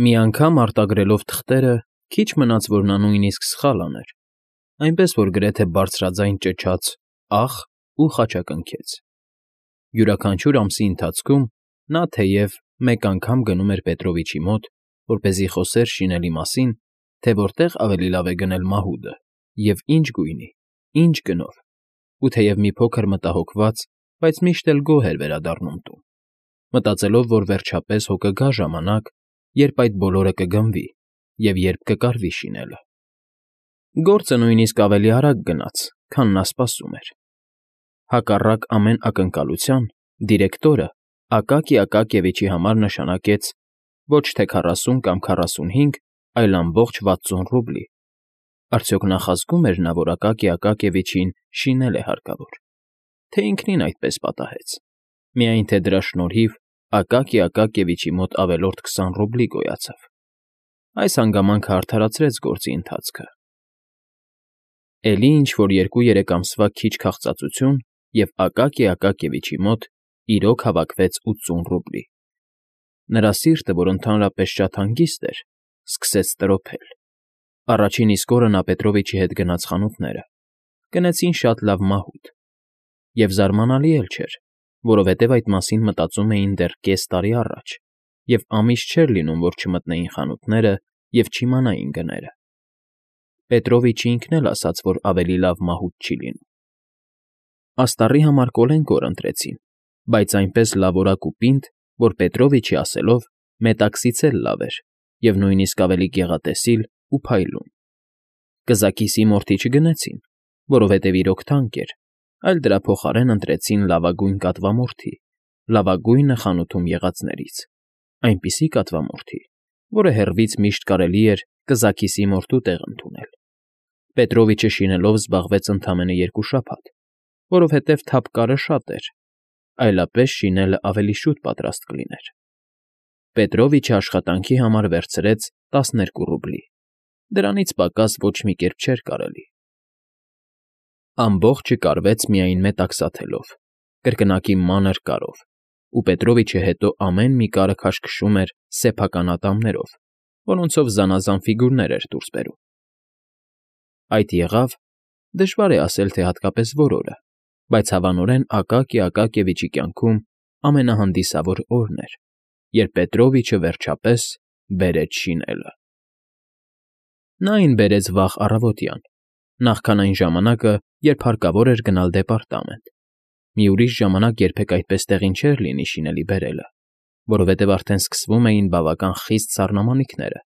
Մի անգամ արտագրելով թղթերը, քիչ մնաց, որ նա նույնիսկ սխալ աներ, այնպես որ գրեթե բարձրաձայն ճչաց «ախ» ու խաչակնքեց։ Յուրաքանչյուր ամսի ընթացքում նա թեև մեկ անգամ գնում էր Պետրովիչի մոտ, որպեսզի խոսեր շինելի մասին, թե որտեղ ավելի լավ է գնել մահուդը և ինչ գույնի, ինչ գնով, ու թեև մի փոքր մտահոգված, բայց միշտ էլ գոհ էր վերադառնում տուն, մտածելով, որ վերջապես հո կգա ժամանակ, երբ այդ բոլորը կգնվի և երբ կկարվի շինելը։ Գործը նույնիսկ ավելի արագ գնաց, քան նա սպասում էր։ Հակառակ ամեն ակնկալության, դիրեկտորը Ակակի Ակակիևիչի համար նշանակեց ոչ թե 40 կամ 45, այլ ամբողջ 60 ռուբլի։ Արդյոք նախազգում էր նա, որ Ակակի Ակակիևիչին շինել է հարկավոր, թե ինքնին այդպես պատահեց, միայն թե դրա շնորհիվ Ակակի Ակակիևիչի մոտ ավելորդ 20 ռուբլի գոյացավ։ Այս հանգամանքը արդարացրեց գործի ընթացքը։ Էլի ինչ֊որ 2-3 ամսվա քիչ քաղծածություն, և Ակակի Ակակիևիչի մոտ իրոք հավաքվեց 80 ռուբլի։ Նրա սիրտը, որ ընդհանրապես շատ հանգիստ էր, սկսեց տրոփել։ Առաջին իսկ օրը նա Պետրովիչի հետ գնաց խանութները, գնեցին շատ լավ մահուդ։ Եվ զարմանալի էլ չէր, որովհետև այդ մասին մտածում էին դեռ կես տարի առաջ, և ամիս չէր լինում, որ չմտնեին խանութները և չիմանային գները։ Պետրովիչը ինքն էլ ասաց, որ ավելի լավ մահուդ չի լինում։ Աստառի համար կոլենկոր ընտրեցին, բայց այնպես լավորակ ու պինդ, որ Պետրովիչի ասելով մետաքսից էլ լավ էր և նույնիսկ ավելի գեղատեսիլ ու փայլուն։ Կզակիսի մորթի չգնեցին, որովհետև իրոք թանկ էր, այլ դրա փոխարեն ընտրեցին լավագույն կատվամորթի, լավագույնը խանութում եղածներից, այնպիսի կատվամորթի, որը հեռվից միշտ կարելի էր կզակիսի մորթու տեղ ընդունել։ Պետրովիչը շինելով զբաղվեց ընդամենը 2 շաբաթ, որովհետև թափկարը շատ էր, այլապես շինելը ավելի շուտ պատրաստ կլիներ։ Պետրովիչը աշխատանքի համար վերցրեց 12 ռուբլի, դրանից պակաս ոչ մի կերպ չէր կարելի։ Ամբողջը կարվեց միայն մետաքսաթելով, կրկնակի մանր կարով, ու Պետրովիչը հետո ամեն մի կարը քաշքշում էր սեփական ատամներով, որոնցով զանազան ֆիգուրներ էր դուրս բերում։ Այդ եղավ, դժվար է ասել, թե հատկապես որ օրը, բայց հավանորեն Ակակի Ակակիևիչի կյանքում ամենահանդիսավոր օրն էր, երբ Պետրովիչը վերջապես բերեց շինելը։ Նա այն բերեց վաղ առավոտյան, նախքան այն ժամանակը, երբ հարկավոր էր գնալ դեպարտամենտ։ Մի ուրիշ ժամանակ երբեք այդպես տեղին չէր լինի շինելի բերելը, որովհետև արդեն սկսվում էին բավական խիստ սառնամանիքները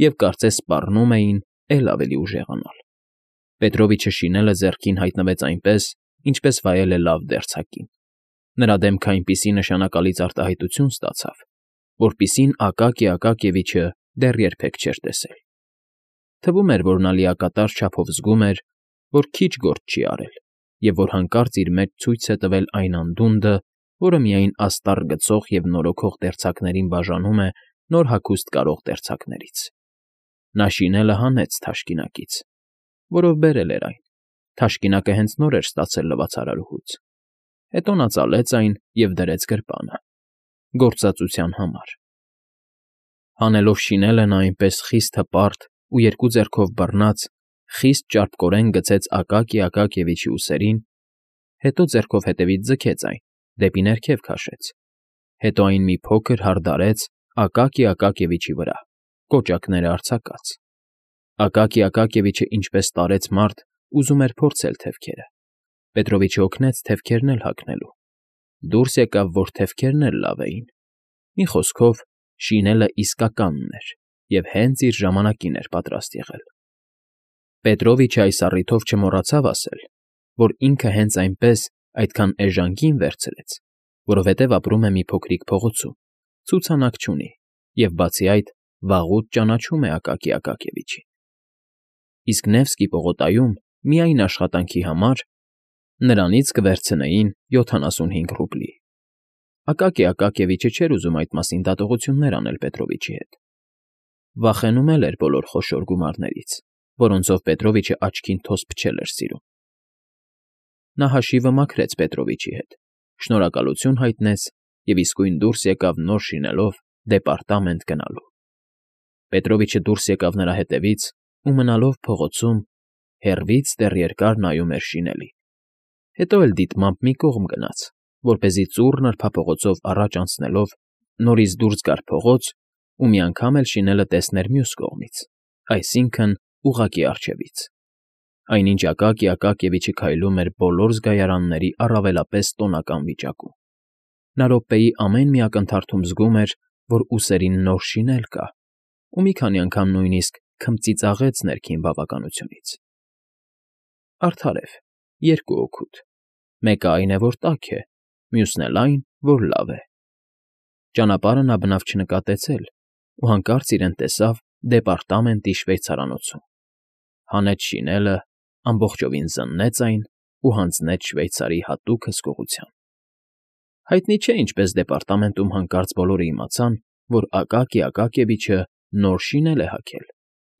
և կարծես սպառնում էին էլ ավելի ուժեղանալ։ Պետրովիչը շինելը ձեռքին հայտնվեց այնպես, ինչպես վայել է լավ դերձակին։ Նրա դեմքը այնպիսի նշանակալից արտահայտություն ստացավ, որպիսին Ակակի Ակակիևիչը դեռ երբեք չէր տեսել։ Թվում էր, որ նա լիակատար չափով զգում էր, որ քիչ գործ չի արել, և որ հանկարծ իր մեջ ցույց է տվել այն անդունդը, որը միայն աստառ գցող և նորոգող դերձակներին բաժանում է նոր հագուստ կարող դերձակներից։ Նա շինելը հանեց թաշկինակից, որով բերել էր այն, թաշկինակը հենց նոր էր ստացել լվացարարուհուց։ Հետո նա ծալեց այն և դրեց գրպանը, գործածության համար։ Հանելով շինելը նա այնպես խիստ հպարտ ու 2 ձեռքով բռնած, խիստ ճարպկորեն գցեց Ակակի Ակակիևիչի ուսերին, հետո ձեռքով հետևից ձգեց այն, դեպի ներքև քաշեց, հետո այն մի փոքր հարդարեց Ակակի Ակակիևիչի վրա, կոճակները արձակած։ Ակակի Ակակիևիչը ինչպես տարեց մարդ, ուզում էր փորձել թևքերը։ Պետրովիչը օգնեց թևքերն էլ հագնելու։ Դուրս եկավ, որ թևքերն էլ լավ էին։ Մի խոսքով, շինելը իսկականն էր և հենց իր ժամանակին էր պատրաստ եղել։ Պետրովիչը այս առիթով չմոռացավ ասել, որ ինքը հենց այնպես այդքան էժան վերցրեց, որովհետև ապրում է մի փոքրիկ փողոցում, ցուցանակ չունի և, բացի այդ, վաղուց ճանաչում է Ակակի Ակակիևիչին։ Իսկ Նևսկի պողոտայում միայն աշխատանքի համար նրանից կվերցնեին 75 ռուբլի։ Ակակի Ակակիևիչը չէր ուզում այդ մասին դատողություններ անել Պետրովիչի հետ։ Վախենում էր բոլոր խոշոր գումարներից, որոնցով Պետրովիչը աչքին թոս փչել էր սիրում։ Նա հաշիվը մաքրեց Պետրովիչի հետ, շնորհակալություն հայտնեց և իսկույն դուրս եկավ նոր շինելով դեպարտամենտ գնալու։ Պետրովիչը դուրս եկավ նրա հետևից ու մնալով փողոցում, հեռվից դեռ երկար նայում էր շինելին։ Հետո էլ դիտմամբ մի կողմ գնաց, որպեսզի ծուռ նրբափողոցով առաջ անցնելով նորից դուրս գար փողոց ու մի անգամ էլ շինելը տեսներ մյուս կողմից, այսինքն՝ ուղղակի առջևից։ Այնինչ Ակակիևիչը քայլում էր բոլոր զգայարանների առավելապես տոնական վիճակում։ Նա րոպեի ամեն մի ակնթարթում զգում էր, որ ուսերին նոր շինել կա, ու մի քանի անգամ նույնիսկ քմծիծաղեց ներքին բավականությունից։ Արդարև, երկու օգուտ. մեկը այն է, որ տաք է, մյուսն էլ այն, որ լավ է։ Ճանապարհը նա բնավ չնկատեց էլ ու հանկարծ իրեն տեսավ դեպարտամենտի շվեյցարանոցում։ Հանեց շինելը, ամբողջովին զննեց այն ու հանձնեց Շվեյցարի հատուկ հսկողության։ Հայտնի չէ ինչպես դեպարտամենտում հանկարծ բոլորը իմացան, որ Ակակիևիչը նոր շինել է հագել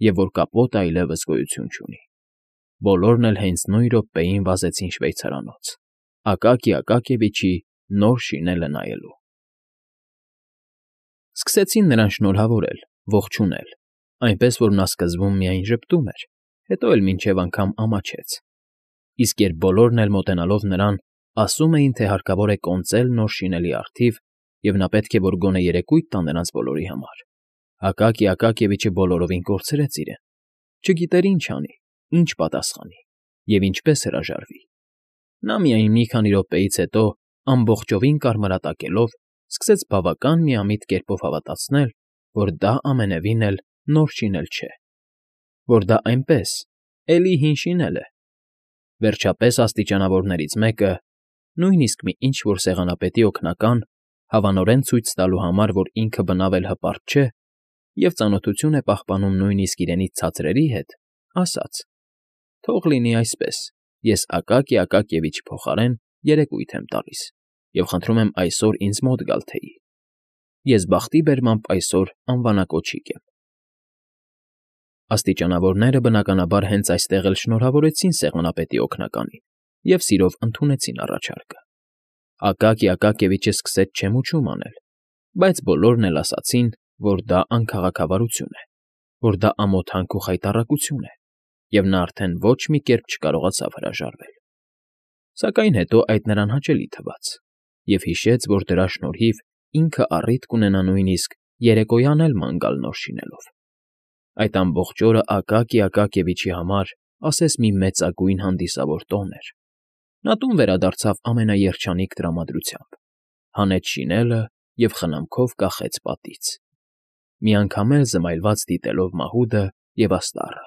և որ կապոտը այլևս գոյություն չունի։ Բոլորն էլ հենց նույն րոպեին վազեցին շվեյցարանոց, Ակակիևիչի նոր շինելը նայելու։ Սկսեցին նրան շնորհավորել, ողջունել, այնպես որ նա սկզբում միայն ժպտում էր, հետո էլ մինչև անգամ ամաչեց։ Իսկ երբ բոլորն էլ մոտենալով նրան, ասում էին, թե հարկավոր է կոնծել նոր շինելի առթիվ, և նա պետք է որ գոնե երեկույթ տա նրանց բոլորի համար, Ակակիևիչը բոլորովին կորցրեց իրեն, չգիտեր ինչ անի, ինչ պատասխանի և ինչպես հրաժարվի։ Նա միայն մի քանի րոպեից հետո, ամբողջովին կարմրատակելով, սկսեց բավական միամիտ կերպով հավատացնել, որ դա ամենևին էլ նոր շինել չէ, որ դա այնպես, էլի հին շինել է։ Վերջապես աստիճանավորներից մեկը, նույնիսկ մի ինչ֊որ սեղանապետի օգնական, հավանորեն ցույց տալու համար, որ ինքը բնավ էլ հպարտ չէ և ծանոթություն է պահպանում նույնիսկ իրենից ցածրերի հետ, ասաց. «Թող լինի այսպես, ես Ակակիևիչի փոխարեն երեկույթ եմ տալիս և խնդրում եմ այսօր ինձ մոտ գալ թեյի։ Ես բախտի բերմամբ այսօր անվանակոչիկ եմ»։ Աստիճանավորները, բնականաբար, հենց այստեղ էլ շնորհավորեցին սեղանապետի օգնականին և սիրով ընդունեցին առաջարկը։ Ակակիևիչը սկսեց չեմուչում անել, բայց բոլորն էլ ասացին, որ դա անքաղաքավարություն է, որ դա ամոթանք ու խայտառակություն է, և նա արդեն ոչ մի կերպ չկարողացավ հրաժարվել։ Սակայն հետո այդ նրան հաճելի թվաց և հիշեց, որ դրա շնորհիվ ինքը առիթ կունենա նույնիսկ երեկոյան էլ ման գալ նոր շինելով։ Այդ ամբողջ օրը Ակակիևիչի համար ասես մի մեծագույն հանդիսավոր տոն էր։ Նա տուն վերադարձավ ամենաերջանիկ տրամադրությամբ, հանեց շինելը և խնամքով կախեց պատից, մի անգամ էլ զմայլված դիտելով մահուդը և աստառը։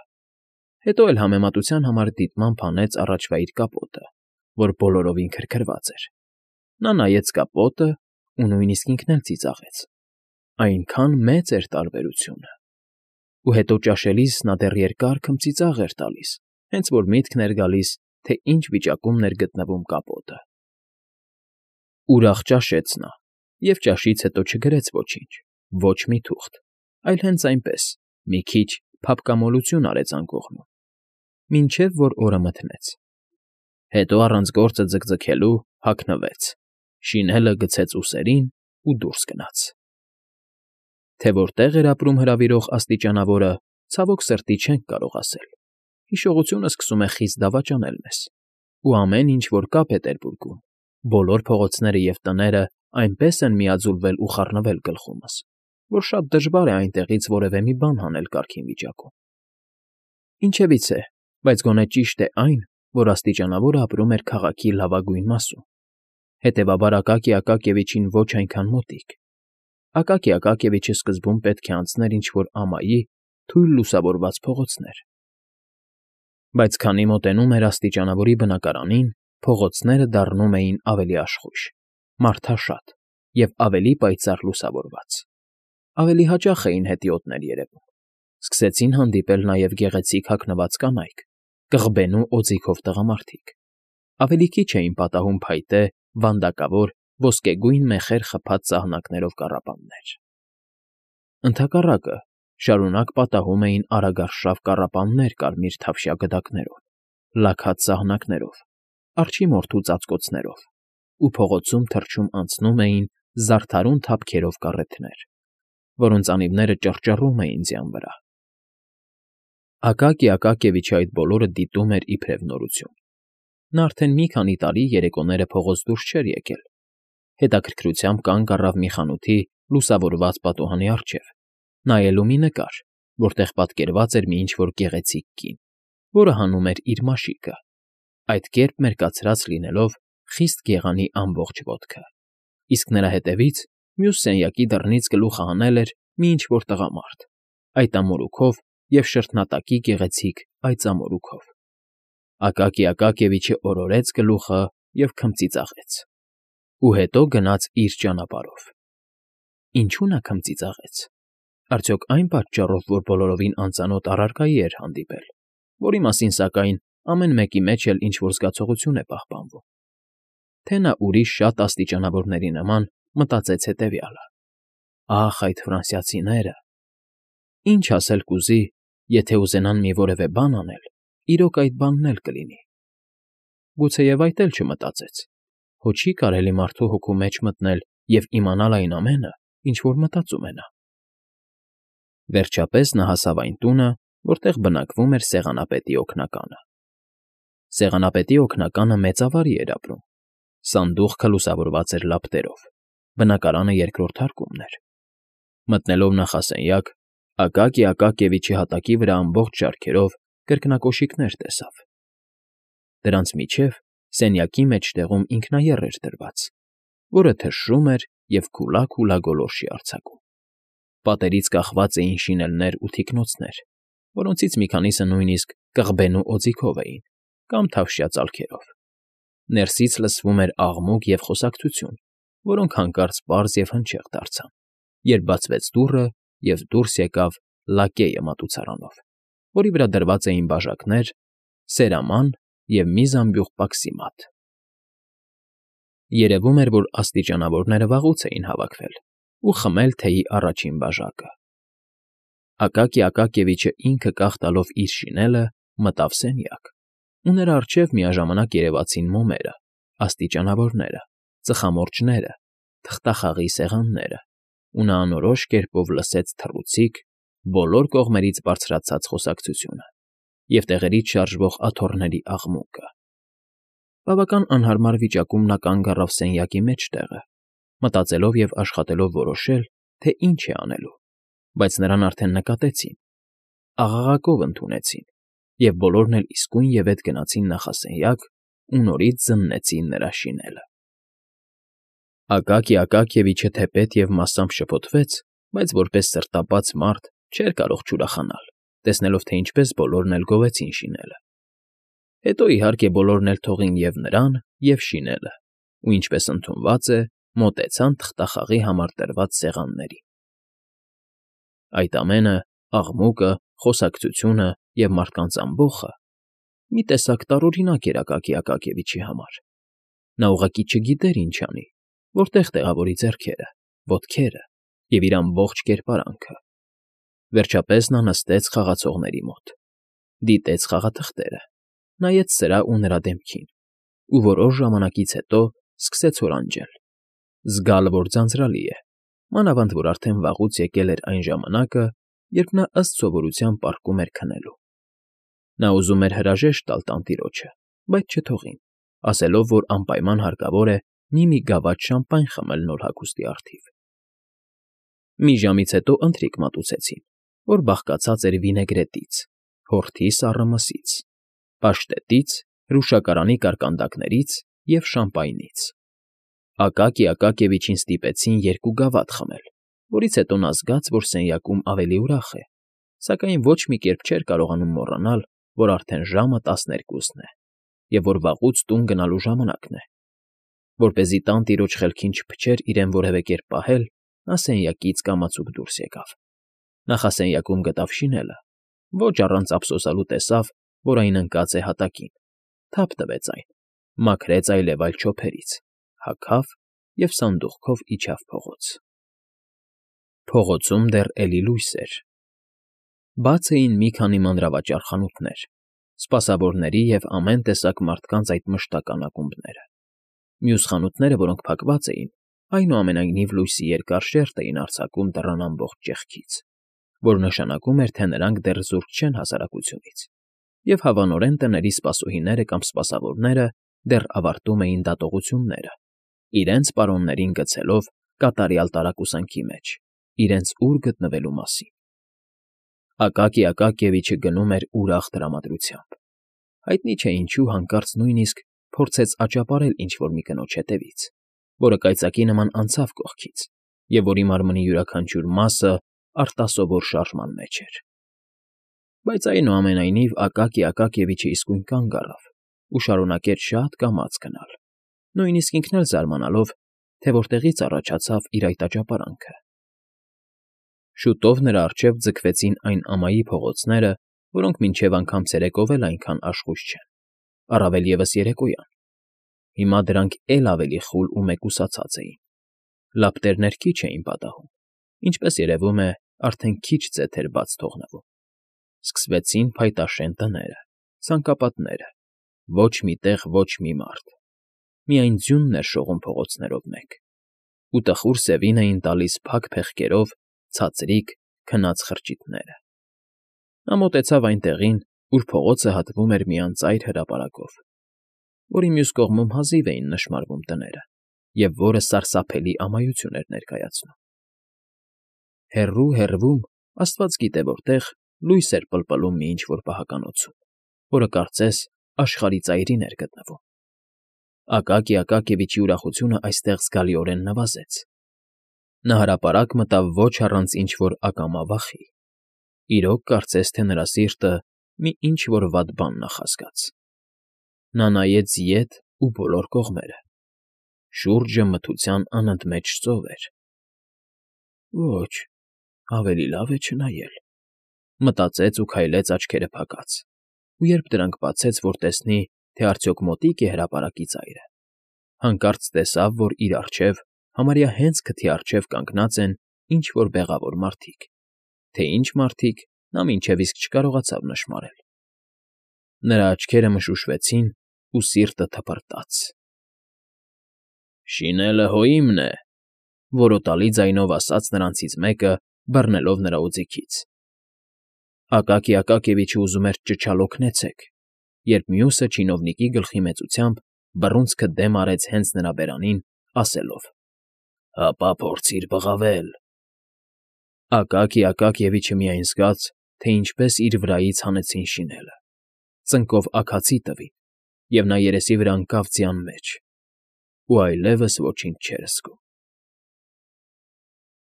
Հետո էլ համեմատության համար դիտմամբ հանեց առաջվա իր կապոտը, որ բոլորովին քրքրված էր։ Նա նայեց կապոտը ու նույնիսկ ինքն էլ ծիծաղեց։ Այնքան մեծ էր տարբերությունը։ Ու հետո ճաշելիս նա դեռ երկար քմծիծաղ էր տալիս, հենց որ միտքն էր գալիս, թե ինչ վիճակումն էր գտնվում կապոտը։ Ուրախ ճաշեց նա և ճաշից հետո չգրեց ոչինչ, ոչ մի թուղթ, այլ հենց այնպես, մի քիչ փափկամոլություն արեց անկողնում, մինչև որ օրը մթնեց։ Հետո առանց գործը ձգձգելու հագնվեց, շինելը գցեց ուսերին ու դուրս գնաց։ Թե որտեղ էր ապրում հրավիրող աստիճանավորը, ցավոք սրտի չենք կարող ասել։ Հիշողությունը սկսում է խիստ դավաճանել մեզ, ու ամեն ինչ, որ կա Պետերբուրգում, բոլոր փողոցները և տները այնպես են միաձուլվել ու խառնվել գլխումս, որ շատ դժվար է այնտեղից որևէ մի բան հանել կարգին վիճակում։ Ինչևիցե, բայց գոնե ճիշտ է այն, որ աստիճանավորը ապրում էր քաղաքի լավագույն մասում, հետևաբար Ակակիևիչին ոչ այնքան մոտիկ։ Ակակիևիչը սկզբում պետք է անցներ ինչ֊որ ամայի թույլ լուսավորված փողոցներ։ Բայց քանի մոտենում էր աստիճանավորի բնակարանին, փողոցները դառնում էին ավելի աշխույժ, մարդաշատ և ավելի պայծառ լուսավորված։ Ավելի հաճախ էին հետիոտներ երևում։ Սկսեցին հանդիպել նաև գեղեցիկ հագնված կանայք, կղբենու օձիքով տղամարդիկ։ Ավելի քիչ էին պատահում փայտե, վանդակավոր, ոսկեգույն մեխեր խփած ծաղնակներով կառապաններ։ Ընդհակառակը, շարունակ պատահում էին արագարշավ կառապաններ կարմիր թավշյա գդակներով, լաքած սահնակներով, արջի մորթու ծածկոցներով, ու փողոցում թռչում անցնում էին զարդարուն թափքերով կառեթներ։ որոնց անիվները ճռճռում էին ձյան վրա։ Ակակի Ակակիևիչը այդ բոլորը դիտում էր իբրև նորություն։ Նա արդեն մի քանի տարի երեկոները փողոց դուրս չէր եկել։ Հետաքրքրությամբ կանգ առավ մի խանութի լուսավորված պատուհանի առջև, նայելու մի նկար, որտեղ պատկերված էր մի ինչ-որ գեղեցիկ կին, որը հանում էր իր մաշիկը, այդ կերպ մերկացրած լինելով խիստ գեղանի ամբողջ ոտքը, իսկ նրա հետևից մյուս սենյակի դռնից գլուխը հանել էր մի ինչ֊որ տղամարդ, այդ ամորուքով և շրթնատակի գեղեցիկ այծամորուքով։ Ակակի Ակակիևիչը օրորեց գլուխը և քմծիծաղեց։ Ու հետո գնաց իր ճանապարհով։ Ինչու նա քմծիծաղեց։ Արդյոք այն պատճառով, որ բոլորովին անծանոթ առարկայի էր հանդիպել, որի մասին, սակայն, ամեն մեկի մեջ էլ ինչ֊որ զգացողություն է պահպանվում։ Թե նա ուրիշ շատ աստիճանավորների նման մտածեց հետևյալը. «Ախ, այդ ֆրանսիացիները… Ինչ ասել կուզի, եթե ուզենան մի որևէ բան անել, իրոք այդ բանն էլ կլինի»։ Գուցեև այդ էլ չմտածեց, հո չի կարելի մարդու հոգու մեջ մտնել և իմանալ այն ամենը, ինչ որ մտածում է նա։ Վերջապես նա հասավ այն տունը, որտեղ բնակվում էր սեղանապետի օգնականը։ Սեղանապետի օգնականը մեծավարի էր ապրում։ Սանդուղքը լուսավորված էր լապտերով, բնակարանը երկրորդ հարկումն էր։ Մտնելով նախասենյակ, Ակակի Ակակիևիչի հատակի վրա ամբողջ շարքերով կրկնակոշիկներ տեսավ։ Դրանց միջև սենյակի մեջտեղում ինքնաեռ էր դրված, որը թշրում էր և քուլա գոլորշի արձակում։ Պատերից կախված էին շինելներ ու թիկնոցներ, որոնցից մի քանիսը նույնիսկ կղբենու օձիքով էին կամ թավշյա ծալքերով։ Ներսից լսվում էր աղմուկ և խոսակցություն, որոնք հանկարծ պարզ և հնչեղ դարձան, երբ բացվեց դուռը և դուրս եկավ լակեյը մատուցարանով, որի վրա դրված էին բաժակներ, սերաման և մի զամբյուղ պաքսի մատ։ Երևում էր, որ աստիճանավորները վաղուց էին հավաքվել ու խմել թեյի առաջին բաժակը։ Ակակի Ակակիևիչը ինքը կախ տալով իր շինելը մտավ սենյակ, ու նրա առջև միաժամանակ երևացին մոմերը, աստիճանավորները, ծխամորճները, թղթախաղի սեղանները, ու նա անորոշ կերպով լսեց թռուցիկ, բոլոր կողմերից բարձրացած խոսակցությունը և տեղերից շարժվող աթոռների աղմուկը։ Բավական անհարմար վիճակում նա կանգ առավ սենյակի մեջտեղը, մտածելով և աշխատելով որոշել, թե ինչ է անելու, բայց նրան արդեն նկատեցին, աղաղակով ընդունեցին, և բոլորն էլ իսկույնևեթ գնացին նախասենյակ ու նորից զննեցին նրա շինելը։ Ակակի Ակակիևիչը թեպետ և մասամբ շփոթվեց, բայց որպես սրտապած մարդ չէր կարող չուրախանալ, տեսնելով, թե ինչպես բոլորն էլ գովեցին շինելը։ Հետո, իհարկե, բոլորն էլ թողին և նրան, և շինելը, ու, ինչպես ընդունված է, մոտեցան թղթախաղի համար տրված սեղաններին։ Այդ ամենը, աղմուկը, խոսակցությունը և մարդկանց ամբոխը մի տեսակ տարօրինակ էր Ակակի Ակակիևիչի համար։ Նա ուղղակի չգիտեր ինչ անի, որտեղ տեղավորի ձեռքերը, ոտքերը և իր ամբողջ կերպարանքը։ Վերջապես նա նստեց խաղացողների մոտ, դիտեց խաղաթղթերը, նայեց սրա ու նրա դեմքին ու որոշ ժամանակից հետո սկսեց հորանջել, զգալ, որ ձանձրալի է, մանավանդ որ արդեն վաղուց եկել էր այն ժամանակը, երբ նա ըստ սովորության պառկում էր քնելու։ Նա ուզում էր հրաժեշտ տալ տանտիրոջը, բայց չթողին, ասելով, որ անպայման հարկավոր է մի գավաթ շամպայն խմել նոր հագուստի առթիվ։ Մի ժամից հետո ընթրիք մատուցեցին, որ բաղկացած էր վինեգրետից, հորթի սառը մսից, պաշտետից, հրուշակարանի կարկանդակներից և շամպայնից։ Ակակի Ակակիևիչին ստիպեցին 2 գավաթ խմել, որից հետո նա զգաց, որ սենյակում ավելի ուրախ է, սակայն ոչ մի կերպ չէր կարողանում մոռանալ, որ արդեն ժամը 12-ն է և որ վաղուց տուն գնալու ժամանակն է։ Որպեսզի տանտիրոջ խելքին չփչեր իրեն որևէ կերպ պահել, նա սենյակից կամացուկ դուրս եկավ։ Նախասենյակում գտավ շինելը, ոչ առանց ափսոսանալու տեսավ, որ այն ընկած է հատակին, թափ տվեց այն, մաքրեց այլևայլ չոփերից, հագավ և սանդուղքով իջավ փողոց։ Փողոցում դեռ էլի լույս էր։ Բաց էին մի քանի մանրավաճառ խանութներ, սպասավորների և ամեն տեսակ մարդկանց այդ մշտական ակումբները։ Մյուս խանութները, որոնք փակված էին, Այնուամենայնիվ լույսի երկար շերտ էին արձակում դռան ամբողջ ճեղքից, որ նշանակում էր, թե նրանք դեռ զուրկ չեն հասարակությունից, և հավանորեն տների սպասուհիները կամ սպասավորները դեռ ավարտում էին դատողությունները, իրենց պարոններին գցելով կատարյալ տարակուսանքի մեջ, իրենց ուր գտնվելու մասին։ Ակակի Ակակիևիչը գնում էր ուրախ տրամադրությամբ։ Հայտնի չէ ինչու հանկարծ նույնիսկ փորձեց աճապարել ինչ֊որ մի կնոջ հետևից, որը կայծակի նման անցավ կողքից, և որի մարմնի յուրաքանչյուր մասը արտասովոր շարժման մեջ էր։ Բայց այնուամենայնիվ Ակակի Ակակիևիչը իսկույն կանգ առավ ու շարունակեց շատ կամաց գնալ, նույնիսկ ինքն էլ զարմանալով, թե որտեղից առաջացավ իր այդ աճապարանքը։ Շուտով նրա առջև ձգվեցին այն ամայի փողոցները, որոնք մինչև անգամ ցերեկով էլ այնքան աշխույժ չեն, առավել ևս երեկոյան։ Հիմա դրանք էլ ավելի խուլ ու մեկուսացած էին, լապտերներ քիչ էին պատահում, ինչպես երևում է, արդեն քիչ ձեթ էր բաց թողնվում։ Սկսվեցին փայտաշեն տները, ցանկապատները, ոչ մի տեղ ոչ մի մարդ, միայն ձյունն էր շողում փողոցներով մեկ, ու տխուր սևին էին տալիս փակ փեղկերով ցածրիկ քնած խրճիթները։ Նա մոտեցավ այն տեղին, ուր փողոցը հատվում էր մի անծայր հրապարակով, որի մյուս կողմում հազիվ էին նշմարվում տները, և որը սարսափելի ամայություն էր ներկայացնում։ Հեռու, հեռվում, աստված գիտե որտեղ, լույս էր պլպլում մի ինչ֊որ պահականոցում, որը կարծես աշխարհի ծայրին էր գտնվում։ Ակակի Ակակիևիչի ուրախությունը այստեղ զգալիորեն նվազեց։ Նա հրապարակ մտավ ոչ առանց ինչ֊որ ակամա վախի։ Իրոք կարծես թե նրա սիրտը մի ինչ֊որ վատ բան նախազգաց։ Նա նայեց ետ ու բոլոր կողմերը։ Շուրջը մթության անընդմեջ ծով էր։ Ոչ, ավելի լավ է չնայել, մտածեց ու քայլեց աչքերը փակած, ու երբ դրանք բացեց, որ տեսնի, թե արդյոք մոտիկ է հրապարակի ծայրը, հանկարծ տեսավ, որ իր առջև, համարյա հենց քթի առջև կանգնած են ինչ֊որ բեղավոր մարդիկ, թե ինչ մարդիկ, նա մինչև իսկ չկարողացավ նշմարել։ Նրա աչքերը մշուշվեցին ու սիրտը թպրտաց։ Շինելը հո իմն է,֊ որոտալի ձայնով ասաց նրանցից մեկը, բռնելով նրա օձիքից։ Ակակի Ակակիևիչը ուզում էր ճչալ օգնեցեք, երբ մյուսը չինովնիկի գլխի մեծությամբ բռունցքը դեմ արեց հենց նրա բերանին, ասելով. «Հապա փորձիր բղավել»։ Ակակի Ակակիևիչը միայն զգաց, թե ինչպես իր վրայից հանեցին շինելը, ծնկով աքացի տվին, և նա երեսի վրա ընկավ ձյան մեջ ու այլևս ոչինչ չէր զգում։